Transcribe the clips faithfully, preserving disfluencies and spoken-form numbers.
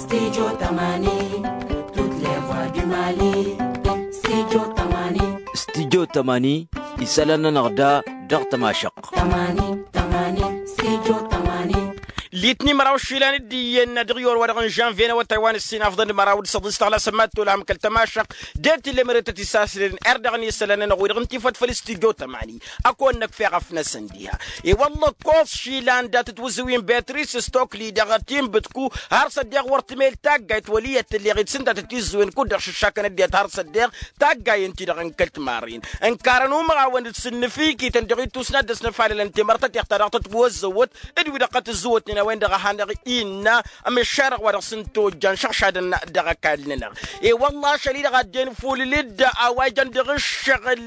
Stidyo tamani. Tut levwa dimali. Stidyo tamani. Stidyo tamani. Isălan-nănăɣ da dăɣ-tămašăɣt. Tamani tamani. Stidyo tamani. Litni măraw išilan d-iyyăn dăɣ-iwăr wa dăɣ-n žănvye n-awătay wa n-ǝssin afḍăn d-măraw d-săḍis tăɣlasăn mad-tolhăm kăl-tămašăɣt. De-t ille mărătăt isasreren erdăɣ n-isălan-nănăɣ wi-dăɣ n-tifăt făll-stidyo tamani. Ăkon năkf eɣăf-năsăn diha. I-wălla ǝkkoẓ išilan dat-ǝtwǝzzǝwin betris stokli dăɣ-timbǝtku har s-ăddeɣ wăr tǝmel taggayt wăl' iyyăt tǝlleɣ-dd s-ǝnta tăt-izzǝwen kud-dăɣ šǝššakăn ăddinăt har s-ăddeɣ taggayen-ti-dăɣ n-kăl-timarren ǝnkărăn umăɣawăn d-sǝnnǝfikităn dăɣ-ittus n-ad-dăɣ-s năfalălăn timărtăteɣt ta dăɣ-tătwăzzăwăt d-wi-dăɣ a tǝzzǝwătnen a-wen-dăɣ a hanăɣ-innă ămǝššarăɣ wa dăɣ-s n-tojjan šăɣšadăn dăɣ-ăkall-nănăɣ. I-wălla ašăl-i-dăɣ a ăddinăt ful dd-a wa ijăn dăɣ-ǝššăɣǝl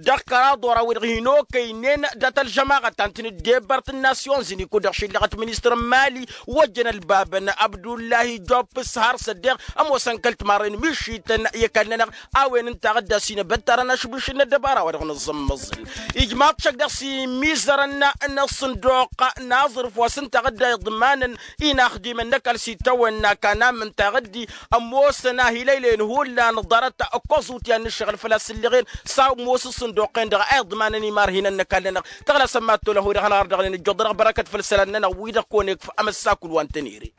dăɣ-kăraḍ ora-wi-dăɣ hin-okăynen dat-ălžămaɣăt ta n-tinǝddebbărt n-nasyon zini kud-dăɣ šillăɣăt ministăr n-mali. Wăjjăn ălbabăn abdullahi jopp s-har s-ăddeɣ ămoosăn kăl-timarren mišităn i-ăkall-nănăɣ. A-wen ǝnta a dd-asinăbăttarăn ašbǝšǝl n-ăddăbara wa dăɣ-nǝẓẓǝmmăẓǝl ijmaḍ-t šăkk dăɣ-s imizărăn n-ăṣṣǝnduq n-aẓrǝf wa s-ǝnta a dd-iḍmanăn inaxdimăn n-ăkall s-itawănna kanam ǝnta a dd-ămoosăn ahilăylen hullan ḍarăt ǝkkoẓ utyan n-ǝššăɣǝl făl-a-s ǝlleɣen s-ămoos ǝṣṣǝnduqen-dăɣ a iḍmanăn imarhinăn n-ăkall-nănăɣ. Tăɣlasăn mad-tolăh wi-dăɣ hanăɣ-ărdăɣnen ǝjjuḍ dăɣ-bărăkăt făll-isălan-nănăɣ wi-dăɣ kăwăn-ikf amǝssakul wa n-tănere.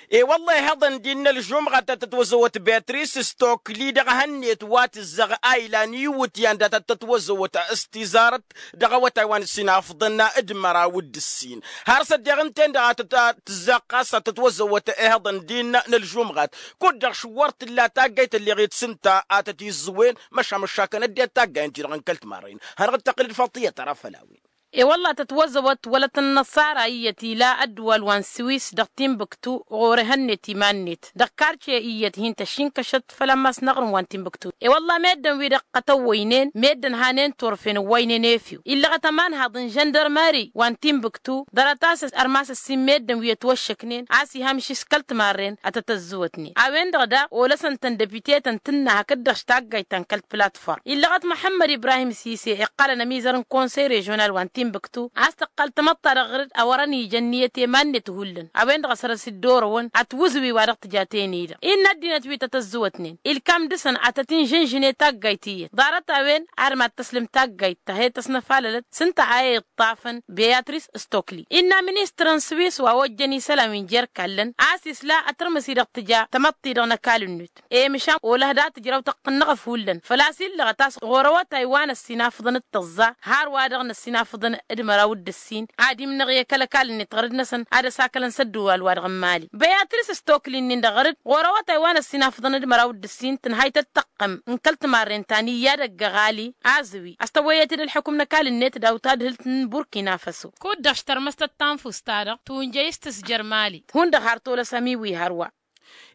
E-wălla-hi ihaḍăn d-innă ălžumɣa ta tătwăzăwăt betris stokli dăɣ-ehănnet wa tǝzzăɣ a ilan iwǝtyan data tătwăzăwăt s-tizarăt dăɣ-awătay wa n-ǝssin afḍăn d-măraw d-ǝssin har s-ăddeɣ ǝnta-en-dăɣ a tǝzzăɣ ɣas a tătwăzăwăt ihăḍăn d-innă n-ălžumɣat. Kud-dăɣ š-wăr t-illa taggayt ălleɣ-i d-sǝnta a tăt-izzǝwen măšan măšakăn ăddinăt taggayen-ti-dăɣ n-kăl-timarren. Hanăɣ-dd-tăqqǝl-dd faṭiyăt ara făll-a-wen. E-wălla tătwăzăwăt wăla tăn-năṣara iyyăt ila ăddǝwal wa n-siwis dăɣ-timbǝktu ɣur-ehănnet iman-net dăɣ-karce iyyăt hin-tăšinkăšăt făll-ammas n-aɣrǝm wa n-timbǝktu. E-wălla meddǝn-wi-dăɣ a tăwwăynen meddǝn hanen turfen ǝwwăynen efew illăɣăt ămanhaḍ n-žăndărmări wa n-timbǝktu ḍarăt a-s ărmas ǝssin meddǝn wi ătwăššăknen a-s iha mǝšis kăl-timarren a tăt-ăzzǝwătnen. A-wen-dăɣ daɣ olăsăn-tăn dăpitetăn tǝnna hakd-dăɣ š-taggayt ta n-kăl-platform illăɣăt muḥămmăd ibrahim sise iqqălăn ămizăr n-konsey režional wa n-timbǝktu a-s tǝqqăl tamăḍt-ta-dăɣ ɣǝr-dd a-wărăn ija ǝnniyăt i-iman-net hullan a-wen-dăɣ a săr-ăsidorăwăn ătwǝzǝwi wa dăɣ-tǝja teni-dăɣ. Innă ăddinăt wi tăt-ăzzǝwătnen ilkam dăɣ-săn a tăt-inžǝnžǝne taggayt iyyăt ḍarăt-a-wen ad-mad-tăslǝm taggayt ta he-tăsnăfalălăt s-ǝnta a iṭṭafăn beyatris stokli innă ministăr n-swiss wa ojjăn isălan wi n-jer-ikallăn a-s isla ătrǝmǝs-i-dăɣ tǝja tamăḍt-i-dăɣ n-ăkall-net. E măšan olăh dat-ǝjrăw tăqqǝnnăɣ ăfullăn făl-a-s illăɣăt a-s ɣur-awătay wa n-ăssinafăḍăn d-tăẓẓa har wa dăɣ-năssinafăḍăn d-măraw d-ǝssin ad-imnăɣ i-kăl-ăkall-net ɣărăd-năsăn ad-ăsakălăn s-ădduwal-wa-dăɣ n-imali. Băyatris s-tokli-nin-dăɣ ɣărăd ɣur-awătay wa n-ăssinafăḍăn d-măraw d-ǝssin tǝnhăy tăt-tăqqăm n-kăl-timarren ta n-iyyad ăgg-ăɣali aẓǝwi a-s tăwwăyăt-dd ălḥukǝm n-ăkall-net d-awtadhǝlt n-burkina faso. Kud-dăɣ š-tărmăstăt tanfust-ta-dăɣ tunjăy s-tǝzjăr mali. Hundăɣ har tolăs amiwi hărwa.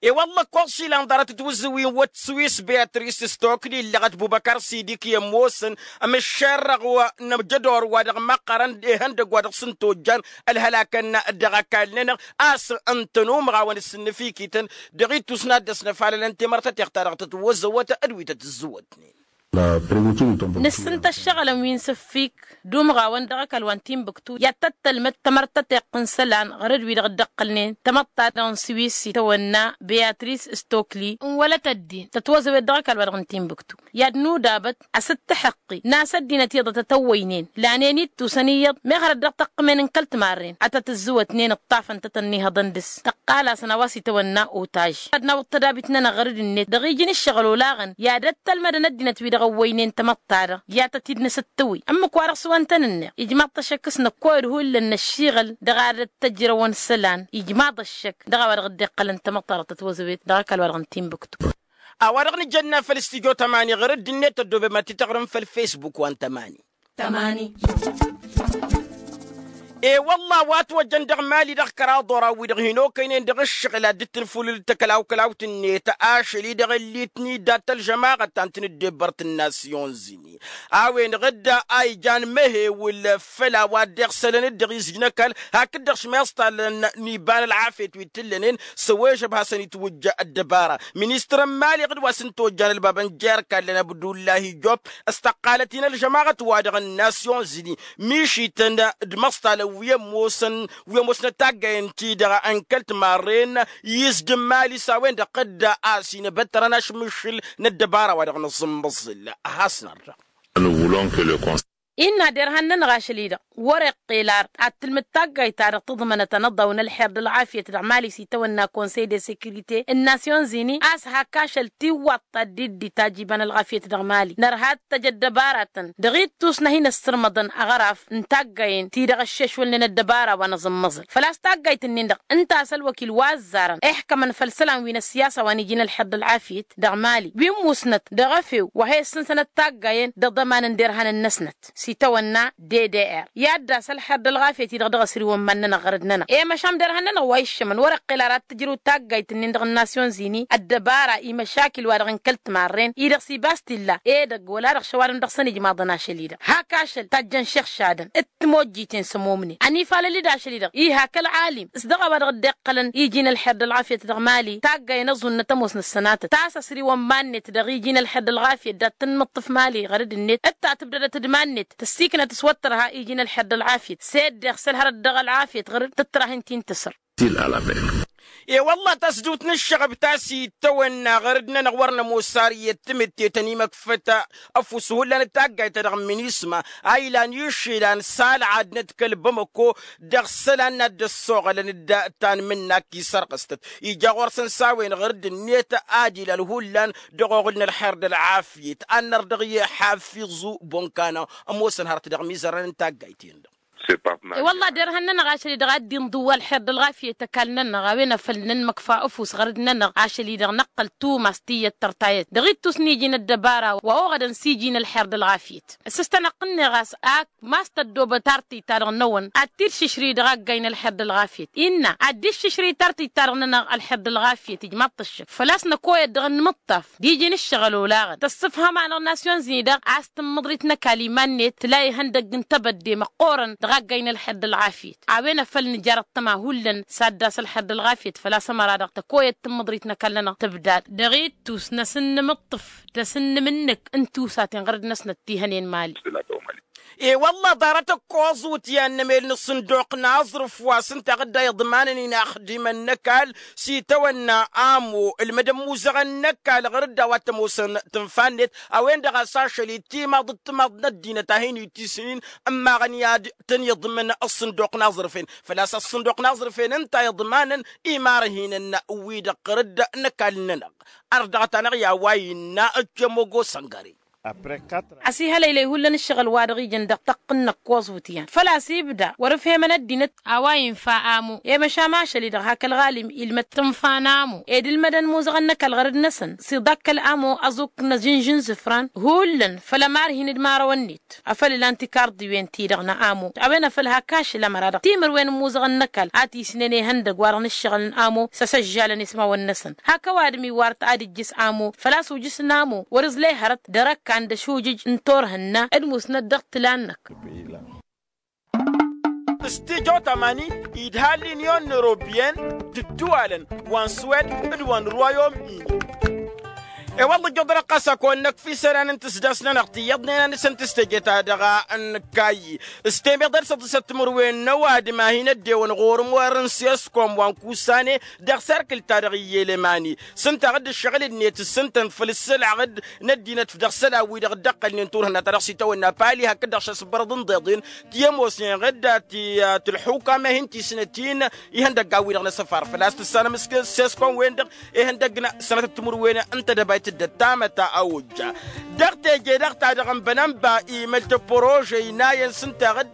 E-wălla ǝkkoẓ išilan ḍarăt tǝtwǝzzǝwin wăt swis beatris stokli illăɣăt bubăkăr sidik i-ămoosăn ămǝššerrăɣ wa n-ăjădor wa dăɣ-măqqărăn ihăndăgg wa dăɣ-sǝntojjan ălhălakăn dăɣ-ăkall-nănăɣ a-s ǝntănum ɣawăn ǝssǝnnǝfikităn dăɣ-ittus n-ad-dăɣ-s năfalălăn timărtăteɣt ta dăɣ-tătwăzzăwăt d-wi tăt-ǝzzǝwătnen. Nǝssǝnta ăššăɣǝlăn wi n-sǝffik d-umɣawăn dăɣ-ăkall wa n-timbǝktu i-ad-tăt-tălmăd tamărtăteɣt n-isălan ɣărăd-wi-dăɣ dd-ăqqǝlnen tamăḍt-ta-dăɣ n-siwis itawănna beatris stokli n-wălăt ăddin tătwăzăwet dăɣ-ăkall wa dăɣ-n timbǝktu. I-ad-nudabăt a-s dd-tăxăqqi n-a-s ăddinăt iyyăḍ a tăt-ăwwăynen lanen ittusăn iyyăḍ mexăr ăddăɣ tăqqǝmen n-kăl-timarren a tăt-ǝzzǝwătnen ǝṭṭafăn-tăt ănnihăḍăn dăɣ-s tăqqal-asăn a-wa s-itawănna otaj. Ad-nawăḍ tădabit-nănăɣ ɣărăd-net dăɣ-iji n-ǝššăɣǝl olaɣăn i-ad-ăttălmădăn ăddinăt wi dăɣ-ăwwăynen tamăḍt-ta-dăɣ i-ad-tăt-dd-năsǝttǝwǝy ǝmmǝk-wa-dăɣ s-wăn tăn-ǝnneɣ ijmaḍ-t ăššăk s-năkkoyăd hullan n-ăššiɣǝl dăɣ-ad-ăttăjrăwăn isălan ijmaḍ ăššăk dăɣ-a-wa dăɣ-dd-iqqălăn tamăḍt-ta-dăɣ tătwăzăwet dăɣ-ăkall wa dăɣ-n timbuktu. A-wa dăɣ-nǝjănna făll-studyo tămani ɣur-dd-net ăddoobem ad-t-tăɣrǝm făll-facebook wa n-tămani. Tămani. E-wălla wa ătwăjjăn dăɣ-mali dăɣ-kăraḍ oran-wi-dăɣ hin-okăynen dăɣ-ǝššăɣǝl ad-dd-tǝnfulǝl tăkălaw-kălawt-net ašăl-i-dăɣ ǝllitni dat-ălžămaɣăt ta n-tinǝddebbărt n-nasyon zini. A-wen-dăɣ dd-a ijan mehewǝl făll-a-wa dd-iɣsălăn-dd dăɣ-izǝj n-ăkall hakd-dăɣ šmeẓtalăn n-iba n-ălɣafyăt wi t-ǝllănen s-ăwwežăb hasăn-itwǝjj ăddăbara. Ministăr n-mali ɣǝd wa s-ǝnta ojjan ălbabăn jer-kallăn abdullahi job s-tăqqalăt-in ălžămaɣăt-wa-dăɣ n-nasyon zini mišităn d-imăẓtalăn. wi ămoosăn wi ămoosnăt taggayen-ti-dăɣ n-kăl-timarren. Izdǝm mali s-a-wen-dăɣ dd-a-s inăbăttărăn ašmǝššǝl n-ăddăbara wa dăɣ-nǝẓǝmmăẓǝl. Has-năr-dăɣ. Innă derhan-nănăɣ ašăl-i-dăɣ wăr-iqqel ar ad-tǝlmǝd taggayt-ta-dăɣ tǝḍmănăt anăḍaw n-ălxer d-ălɣafyăt dăɣ-mali s-itawănna konsey de sekirite n-nasyon zini a-s hak ašăl tiwwaḍt ta dd-iddi tajj iba n-ălɣafyăt dăɣ-mali nărha ad-t-tăj ăddăbaratăn dăɣ-ittus n-ad-hin-ăssărmăḍăn aɣăraf n-taggayen-ti-dăɣ ăššešwălnen ăddăbara wa n-aẓǝmmăẓǝl făl-a-s taggayt-ǝnnin-dăɣ ǝnta a-s ălwăkil wa ăzzarăn. Iḥkămăn făll-isălan wi n-ăssiyasa wa n-iji n-ălxer d-ălɣafyăt dăɣ-mali wi ămmusnăt dăɣ-efew wa he-ǝssǝnsănăt taggayen d-aḍăman n-derhanăn-năsnăt s-itawănna d d r i-ad-dd-as ălxer d-ălɣafyăt-i-dăɣ dăɣ-asriwăn iman-nănăɣ ɣărăd-nănăɣ i-măšan derhan-nănăɣ wa iššămăn wăr-iqqel ara ad-tǝjrǝw taggayt-ǝnnin-dăɣ n-nasyon zini ăddăbara i-măšakil-wa-dăɣ n-kăl-timarren-i-dăɣ s-ibas t-illa edăgg wăla dăɣ-šăwadăn dăɣ-săn ijmaḍăn ašăl-i-dăɣ hak ašăl tajjăn šixšadăn d-timojjiten s-ămumnen ănifalăl-dd ašăl-i-dăɣ iha kăl-ɣalim s-dăɣ a-wa dăɣ-dd-iqqălăn iji n-ălxer d-ălɣafyăt dăɣ-mali taggayen ăẓunnăt ămoosnăt sănatăt ta s-asriwăn iman-net dăɣ-iji n-ălxer d-ălɣafyăt dat-tǝnmǝṭṭǝf mali ɣărăd-net d-ta tǝbdădăt d-iman-net tǝssiknăt s-wăr tărha iji n-ălxer d-ălɣafyăt s-eddeɣ s-ălhărăt dăɣ-ălɣafyăt ɣărăd tǝttrahin ti n-tǝsǝr. E-wălla tasdut n-ǝššăɣăb ta s-itawănna ɣărăd-nănăɣ wăr nămoos ar iyyăt timǝtte tăn-imăkfăt ăfuss hullan d-taggayt-ta-dăɣ n-minisma a ilan išlan s-alɣad n-ădd kăl-bamăko dăɣ-isălan n-ad-dd-ăssoɣălăn d-tanmǝnna ăkk isărɣǝstăt ija ɣur-săn s-a-wen ɣărd-net ad-ilal hullan dăɣ-oɣǝl n-ălxer d-ălɣafyăt ad-nărdăɣ i-ăḥafiẓu bonkana ămoosăn hărăt dăɣ-imizărăn n-taggayt-en-dăɣ. E-wălla derhan-nănăɣ ašăl-i-dăɣ ad-dd-inḍǝw ălxer d-ălɣafyăt ăkall-nănăɣ a-wen afăl nănmăkfa ăfuss ɣărd-nănăɣ ašăl-i-dăɣ năqqăl tumast tiyyăt tărtayăt dăɣ-ittus n-iji n-ăddăbara wa oɣădăn s-iji n-ălxer d-ălɣafyăt s-s tănăqqǝnneɣ a-s ak mas tăddoobăt artita dăɣ-năwăn ad-t-dd-šǝšri dăɣ-aggay n-ălxer d-ălɣafyăt innă ad-dd-iššǝšri tartit-ta-dăɣ-nănăɣ ălxer d-ălɣafyăt ijmaḍ-t ǝššǝk făl-a-s năkoyăt dăɣ-inmǝṭṭaf d-iji n-ǝššăɣǝl olaɣăn tăssǝfhăm-anăɣ nasyon-zǝni-dăɣ a-s tǝmmǝḍrit n-ăkall iman-net tǝla ihăndăgg n-tebădde măqqoorăn dăɣ-aggay n-ălxer d-ălɣafyăt a-wen afăl nǝjar ăṭṭăma hullan s-ad-dd-as ălxer d-ălɣafyăt făl-a-s ămăra-dăɣ tăkoyăt tǝmmǝḍrit n-ăkall-nănăɣ tǝbdad dăɣ-ittus n-asǝnnǝm ǝṭṭǝf d-asǝnnǝm ǝnnǝk n-tusaten ɣărăd-năsnăt ti hănen mali. E-wălla ḍarăt ăkkoẓ wǝtyan n-emel n-ǝssǝnduq n-aẓrǝf wa s-ǝnta ɣǝdda iḍmanăn inaxdimăn n-ăkall s-itawănna amo ǝlmădăn imuzăɣăn n-ăkall ɣur-dd a-wa t-ămoosăn tǝnfa-net a-wen-dăɣ a-s ašăl-i timaḍ d-timaḍ n-ăddinăt a hin-itisǝnin ǝmmaɣăn i-ad-tăn-iḍmǝn ǝssǝnduq n-aẓrǝf-en făl-a-s ǝssǝnduq n-aẓrǝf-en ǝnta iḍmanăn imarhinăn wi-dăɣ ɣur-dd n-ăkall-nănăɣ. Ărdăɣăt-anăɣ i-a-wa innă ăccemogo săngăre. Ăsihălăylăy hullan ǝššăɣǝl-wa-dăɣ ijăn dăɣ-tăqqǝn n-ăkkoẓ wǝtyan făl-a-s ibda wăr-ǝfhemăn ăddinăt a-wa infa amo i-măšan ašăl-i-dăɣ hak ălɣalim ilmăd tǝnfa n-amo ed ǝlmădăn imuzăɣăn n-ăkall ɣărăd-năsăn s-iḍa kăl-amo ăẓuk n-ažǝnžǝn zǝfran hullan făll-ămarhin d-imarăwăn-net afăl ǝlan tikarḍiwen-ti-dăɣ n-amo a-wen afăl hak ašăl ămăra-dăɣ timǝrwen n-imuzăɣăn n-ăkall a tisnen ihăndăg wa-dăɣ n-ǝššăɣǝl n-amo s-ăsăžžalăn ismawăn-năsăn hak ăwadǝm iwar-t ad-ǝjjǝs amo făl-a-s ujǝs n-amo wăr-ǝẓlay hărăt d-erăkkan d-ašujǝj n-turhǝnna d-musnăt dăɣ-tǝla-năk. S-tijot ămani idha l-inyon n-eropyen d-ǝddǝwalăn wa n-swed d-wa n-rwayom-ini. I-wălla ǝjjăḍ-năk ɣas a kăwăn-năkf isălan n-tǝsdas-nănăɣ tiyyăḍnen a nǝsǝnt s-teje-ta-dăɣ n-kayyi s-temeḍe d-săḍisăt timǝrwen n-ăwadǝm a hin-ăddewăn ɣur-ămwărăn s-eskom wa n-kusane dăɣ-serkǝl-ta-dăɣ iyyălemani s-ǝnta ɣǝdd ǝššăɣǝl-net s-ǝntăn făll-ǝssǝlɣăd n-ăddinăt dăɣ-isălan-wi-dăɣ dd-ăqqălnen turhǝnna-ta-dăɣ s-itawănna pali hakd-dăɣ šăsbărăḍ n-iḍeḍen ti ămoosnen ɣǝdd ti tǝlxukam a hin-tisnăt-in ihăndăggan-wi-dăɣ n-asăfar făl-a-s tǝssanăm s-eskom-wen-dăɣ ihăndăgg n-sănatăt timǝrwen n-tedăbayt d-ăttamăt a ojja. Dăɣ-teje-dăɣ-ta-dăɣ n-bănănba imăl tăporože inayăn s-ǝnta ɣǝdd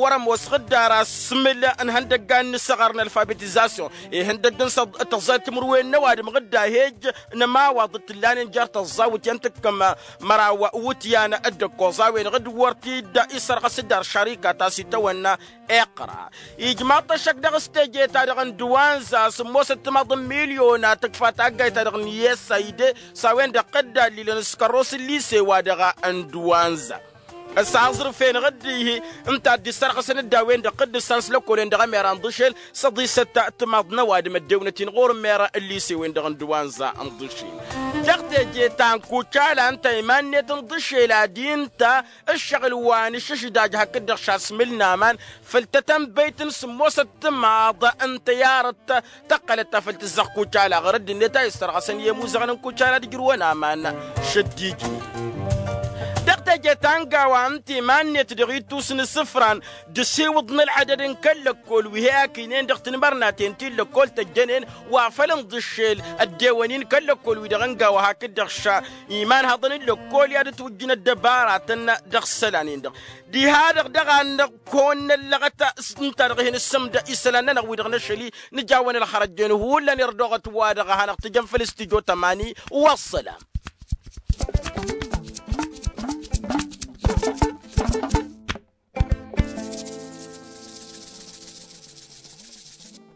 wăr-ămoos ɣǝddar asmǝl n-ihăndăggan n-isăɣar n-alfabetizasyon ihăndăgg n-tăẓẓayăt timǝrwen n-ăwadǝm ɣǝdda hejj n-ămawaḍ d-tǝllanen jer-tăẓẓa wǝtyan tǝkkăm măraw wǝtyan d-ǝkkoẓ a-wen ɣǝdd wăr t-dd-isărɣăs dd-ar šarika ta s-itawănna iqra. Ijmaḍ-t ăššăk dăɣ-s teje-ta-dăɣ n-dăwanza s-ămoosăt timaḍ n-milyona tǝkfa taggayt-ta-dăɣ n-i s a ide s-a-wen-dăɣ dd-allilăn s-kărros n-lise-wa-dăɣ n-dăwanza. S-aẓrǝf-enăɣ dd-ihi ǝnta a dd-issărɣăsăn dd-a-wen-dăɣ tǝddǝssan s-lăkol-en-dăɣ ămera n-iḍǝšel s-ăḍisăt timaḍ n-ăwadǝm ăddewăn-t-in ɣur-ǝmmera n-lise-wen-dăɣ n-duwanza n-iḍǝšel. Dăɣ-teje ta n-kucala ǝnta iman-net n-iḍǝšel ad-inta ǝššăɣǝl wa n-išǝšdaj hakd-dăɣ šasmǝl n-aman făll-tătănbăyt n-sǝmmosăt timaḍ n-tăyarăt tăqqălăt ta făll-tǝzzăɣ kucala ɣur-ăddinnet a issărɣăsăn i-emuzăɣăn n-kucala d-ijrǝwăn aman šăddijnen. Dăɣ-teje ta n-gawa ǝnta iman-net dăɣ-ittus n-isǝfran d-asiwǝḍ n-ălɣădăd n-kăl-lăkkol wi he-akǝynen dăɣ-tanmărnaten ti n-lăkkol tăjjănen wa făl ǝnḍǝššel ăddewăn-in kăl-lăkkol-wi-dăɣ n-gawa hakd-dăɣ ša iman hăḍăn n-lăkkol i-ad-ǝtwǝjjǝn ăddăbaratăn dăɣ-isălan-in-dăɣ. Diha-dăɣ dăɣ-annăɣ kăwăn-năllăɣăt s-ǝnta-dăɣ hin-ǝssǝmd isălan-nănăɣ wi-dăɣ n-ašăl-i nǝjawăn ălxărăjjen hullan irdoɣăt wa-dăɣ a hanăɣ-tǝjăn făll-s tijo tămani. Wa ăssălam.